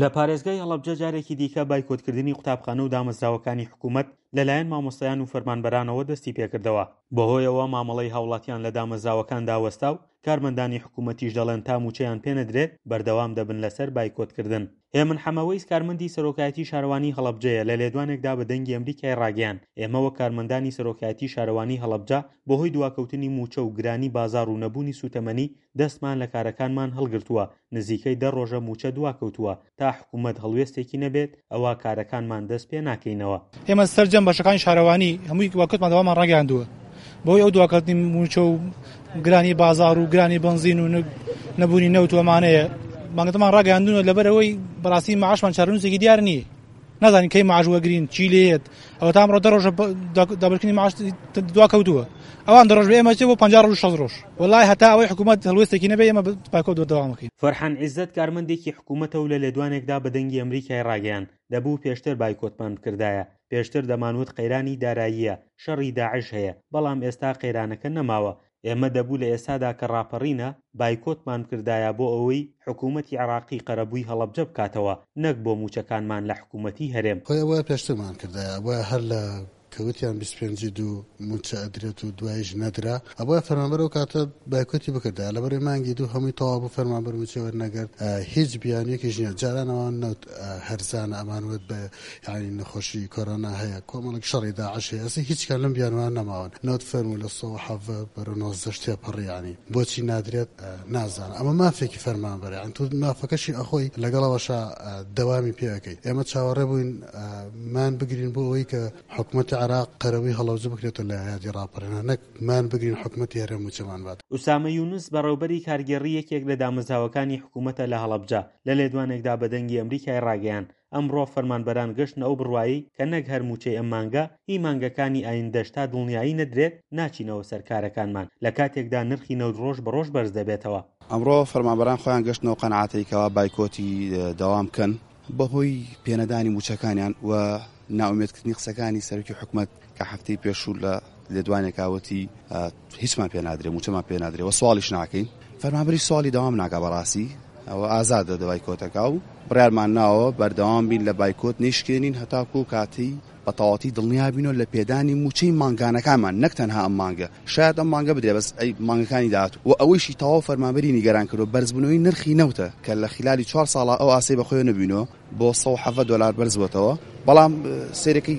لە پارێزگای هەڵەبجە جارێکی دیکە بایکۆتکردنی قوتابخانە و دامەزراوەکانی حکوومەت لەلایەن مامۆستایان و فەرمانبەرانەوە دەستی پێکردەوە، بەهۆیەوە مامەڵەی هاوڵاتیان لە دامەزراوەکاندا وەستا و کارمەندانی حکوومەتیش دەڵێن تا مووچەیان پێنەدرێت بەردەوام دەبن لەسەر بایکۆتکردن. هێمن حەمەوەیس کارمەندی سەرۆکایەتی شارەوانی هەڵەبجەیە لە لێدوانێکدا بە دەنگی ئەمریکای ڕاگەیاند، ئێمە وەک کارمەندانی سەرۆکایەتی شارەوانی هەڵەبجە بەهۆی دواکەوتنی مووچە و گرانی بازاڕ و نەبوونی سووتەمەنی دەستمان لە کارەکانمان هەڵگرتووە، نزیکەی دە ڕۆژە مووچە دواکەوتووە، تا حکوومەت هەڵوێستێکی نەبێت ئەوا کارەکانمان دەست پێ ناکەینەوە. ئێمە سەرجەم بەشەکانی شارەوانی هەمووی دواکەوتمان دەوامان ڕاگەیاندووە، بەهۆی ئەو دواکەوتنی مووچە و گرانی بازاڕ و گرانی بەنزین و نەبوونی نەوت و ئەمانەیە بانگەتەمان ڕاگەیاندوونە لەبەرئەوەی بەڕاستی معاشمان چارەنووسێکی دیار نییە. نازانین کەی معاش وەگرین چی لێت ئەوە تا ئەمڕۆ دە ڕۆژە دابەشکردنی معاش دوا کەوتووە ئەوان دە ڕۆژ بە ئێمە چێ بۆ 50 ڕۆژ 60 ڕۆژ وەڵای هەتا ئەوەی حکوومەت هەڵوێستێکی نەبێ ئێمە بایکۆت بەردەوام ئەکەین. فەرحان عیزەت کارمەندێکی حکوومەتە و لە لێدوانێکدا بە دەنگی ئەمریکای ڕاگەیاند، دەبوو پێشتر بایکۆتمان بکردایە، پێشتر دەمانوت قەیرانی داراییە، شەڕی داعش هەیە، بەڵام ئێستا قەیرانەکە نەماوە، ئێمە دەبوو لە ئێستادا کە ڕاپەڕینە، بایکۆتمان بکردایە بۆ ئەوەی حکوومەتی عێراقی قەرەبووی هەڵەبجە بکاتەوە، نەک بۆ مووچەکانمان لە حکوومەتی هەرێم. خۆی ئەبوایە پێشترمان کردایە، ئەبوایە هەر لە کە وتیان 25 ی دوو مووچە ئەدرێت و دواییش نەدرا، ئەبوایە فەرمانبەر ئەو کاتە بایکۆتی بکردایە، لەبەرئەوەی مانگی دوو هەمووی تەواو بوو فەرمانبەر مووچەی وەرنەگرت، هیچ بیانوویەکیش نییە، جاران ئەوان نەوت هەرزانە ئەمان وت بە یانی نەخۆشی کۆرۆنا هەیە کۆمەڵێک شەڕی داعش هەیە ئێستا هیچ کام لەم بیانوانە نەماون نەوت فەرموو لە 117 بەرەو 19 تێپەڕی یانی بۆچی نادرێت نازانم ئەمە مافێکی فەرمانبەرە یانی تۆ مافەکەشی ئەخۆی لەگەڵ ئەوەشا دەوامی پێ ئەکەی ئێمە چاوەڕێ بووین مان بگرین بۆ ئەوەی کە حکومەتی عێراق قەرەبووی هەڵەبجە بکرێتەوە لە یادی ڕاپەڕینە نەک مان بگرین حکومەتی هەرێم مووچەمان بات. ئوسامە یونس بەڕێوبەری کارگێڕی یەکێک لە دامەزراوەکانی حکومەتە لە هەڵەبجە لە لێدوانێکدا بە دەنگی ئەمریکای ڕاگەیاند ئەمڕۆ فەرمانبەران گەشتنە ئەو بڕوایەی کە نەک هەر مووچەی ئەم مانگە، هی مانگەکانی ئایندەش تا دڵنیایی نەدرێت ناچینەوە سەر کارەکانمان، لە کاتێکدا نرخی نەوت ڕۆژ بە ڕۆژ بەرز دەبێتەوە. ئەمڕۆ فەرمانبەران خۆیان گەشتنە ئەو قەناعەتەی کەوا بایکۆتی دەوام بکەن بەهۆی پێنەدانی مووچەکانیان و نائومێدکردنی قسەکانی سەرۆکی حکومەت کە هەفتەی پێشوو لە لێدوانێکا وتی هیچمان پێ نادرێ مووچەمان پێ نادرێ و سواڵیش ناکەین فەرمانبەری سواڵی دەوام ناکا بەڕاستی ئەوە ئازادە دە بایکۆتەکە و بڕیارمان ناوە بەردەوام بین لە بایکۆت نەیشکێنین هەتاکو کاتی بە تەواتی دڵنیا بینەوە لە پێدانی مووچەی مانگانەکانمان نەک تەنها ئەم مانگە شاید ئەم مانگە بدرێ بەس ئەی مانگەکانی داهاتوو و ئەوەیشی تەواو فەرمانبەری نیگەران کردووە بەرزبوونەوەی نرخی نەوتە کە لە خلالی چوار ساڵا ئەو ئاستەی بەخۆیەوە نەبینەوە بۆ 117 دۆلار بەرزبووەتەوە بەڵام سەیرەکەی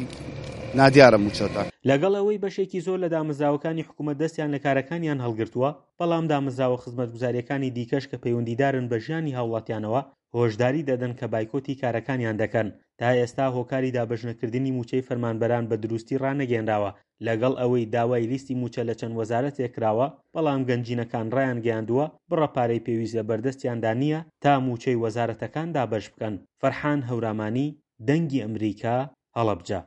نادیارە مووچەکە. لەگەڵ ئەوەی بەشێکی زۆر لە دامەزراوەکانی حکومەت دەستیان لە کارەکانیان هەڵگرتووە، بەڵام دامەزراوە خزمەتگوزارییەکانی دیکەش کە پەیوەندیدارن بە ژیانی هاوڵاتیانەوە هۆشداری دەدەن کە بایکۆتی کارەکانیان دەکەن، تا ئێستا هۆکاری دابەشنەکردنی مووچەی فەرمانبەران بە دروستی ڕانەگەیەنراوە، لەگەڵ ئەوەی داوای لیستی مووچە لە چەند وەزارەتێک کراوە، بەڵام گەنجینەکان ڕایانگەیاندووە بڕە پارەی پێویست لە بەردەستیاندا نییە تا مووچەی وەزارەتەکان دابەش بکەن. فەرحان هەورامانی، دەنگی ئەمریکا، هەڵەبجە.